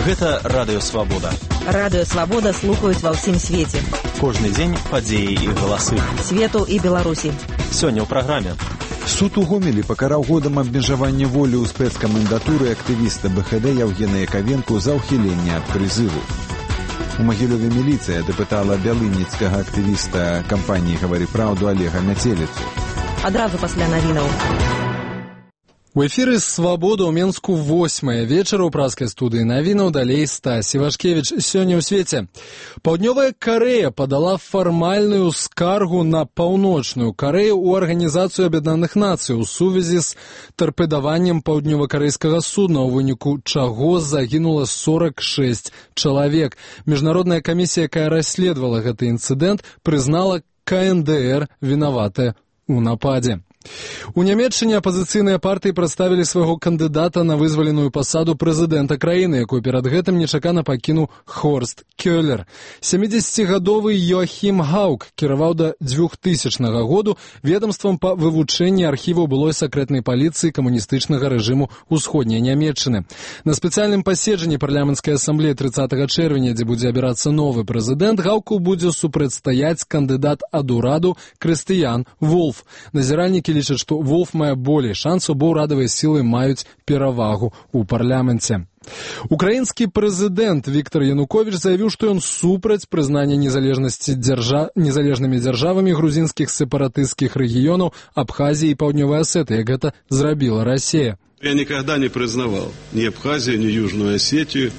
Гэта Радыё Свабода. Радыё Свабода слухаюць ва ўсім свеце. Кожны дзень падзеі і галасы. Свету і Беларусі. Сёння ў праграме. Суд у Гомелі пакараў годам абмежавання волі ў спецкамендатуры актывіста БХД Яўгена Яковенку за ўхіленне ад прызыву. У Магілёве міліцыя дапытала бялыніцкага актывіста кампаніі «Гавары праўду» Олега Мяцеліцу. Адразу пасля навінаў. У эфіры «Свабода» ў Менску 8 вечара ў праскай студыі навінаў, далей Стась Івашкевіч. Сёння ў свеце. Паўднёвая Карэя падала фармальную скаргу на Паўночную Карэю ў Арганізацыю Аб'яднаных Нацый у сувязі з тарпедаваннем паўднёва-карэйскага судна, у выніку чаго загінула 46 чалавек. Міжнародная камісія, якая расследавала гэты інцыдэнт, прызнала КНДР вінаватая ў нападзе. У Нямецчыне апазіцыйныя партыі прадставілі свайго кандыдата на вызваленую пасаду прэзідэнта краіны, якую перад гэтым нечакана пакінуў Хорст Кёлер. 70-гадовы Йоахім Гаук кіраваў да 2000 году ведамствам па вывучэнні архіваў былой сакрэтнай паліцыі камуністычнага рэжыму ўсходняй Нямецчыны. На спецыяльным паседжанні парламенцкай асамблеі 30 чэрвеня, дзе будзе абірацца новы прэзідэнт, Гауку будзе супрацьстаяць кандыдат ад ураду Крыстыян Волф. Назіральнікі лічаць, што Волф мае болей шансаў, бо ўрадавыя сілы маюць перавагу ў парламенце. Украінскі прэзідэнт Віктор Януковіч заявіў, што ён супраць прызнання незалежнасці незалежнымі дзяржавамі грузінскіх сепаратысцкіх рэгіёнаў Абхазіі і Паўднёвай Асетыі, як гэта зрабіла Россия. Я никогда не признавал ни Абхазию, ни Южную Осетию,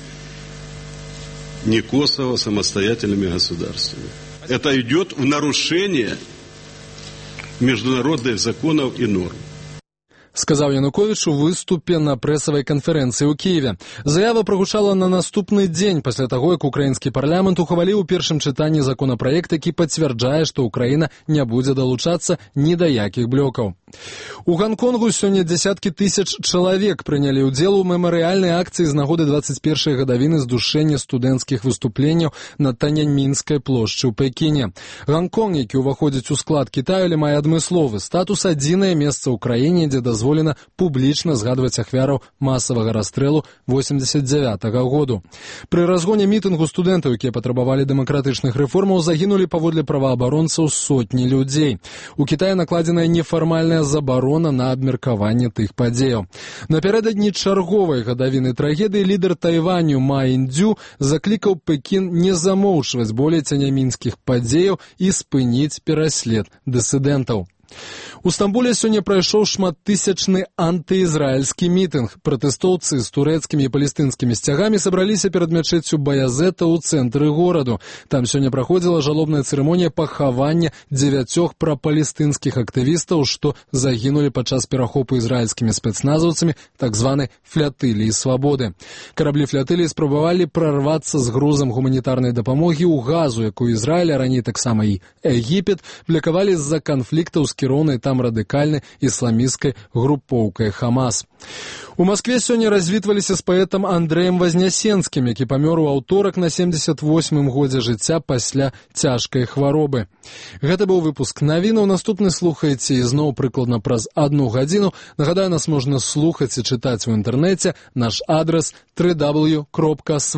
ни Косово самостоятельными государствами. Это идет в нарушение международных законов и норм. Сказаў Януковіч у выступе на прэсавай канферэнцыі ў Кіеве. Заява прагучала на наступны дзень пасля таго, як украінскі парламент ухваліў у першым чытанні законапраект, які пацвярджае, што Украіна не будзе далучацца ні да якіх блокаў. У Ганконгу сёння дзесяткі тысяч чалавек прынялі ўдзел у мемарыяльнай акцыі з нагоды 21-й гадавіны здушэння студэнцкіх выступленняў на Таньаньмінскай плошчы ў Пекіне. Ганконг, які ўваходзіць у склад Кітаю, але мае адмысловы статус, адзінае месца ў краіне, дзе дазволена публічна згадваць ахвяраў масавага расстрэлу 89-го году. Пры разгоне мітынгу студэнтаў, якія патрабавалі дэмакратычных рэформаў, загінулі паводле праваабаронцаў сотні людзей. У Кітаі накладзеная нефармальная забарона на абмеркаванне тых падзеяў. Напярэдадні чарговай гадавіны трагедыі лідар Тайваню Ма Індзю заклікаў Пекін не замоўчваць болей цянямінскіх падзеяў і спыніць пераслед дысідэнтаў. У Стамбуле сёння прайшоў шматтысячны антыізраільскі мітынг. Пратэстоўцы з турэцкімі і палестынскімі сцягамі сабраліся перад мячэццю Баязета ў цэнтры гораду. Там сёння праходзіла жалобная цырымонія пахавання 9 прапалестынскіх актывістаў, што загінулі падчас перахопу ізраільскімі спецназаўцамі так званай флятыліі свабоды. Караблі флятыліі спрабавалі прарвацца з грузам гуманітарнай дапамогі ў Газу, якую Ізраіль, а раней таксама і Егіпет, блакавалі з-за канфліктаў з кіроўнай там радыкальнай ісламісцкай групоўкай Хамас. У Маскве сёння развітваліся з паэтам Андрэем Вазнясенскім, які памёр у аўторак на 78-м годзе жыцця пасля цяжкай хваробы. Гэта быў выпуск навінаў. Наступны слухаеце ізноў прыкладна праз 1 гадзіну. Нагадаю, нас можна слухаць і чытаць у інтэрнэце. Наш адрас www.swabodna.org.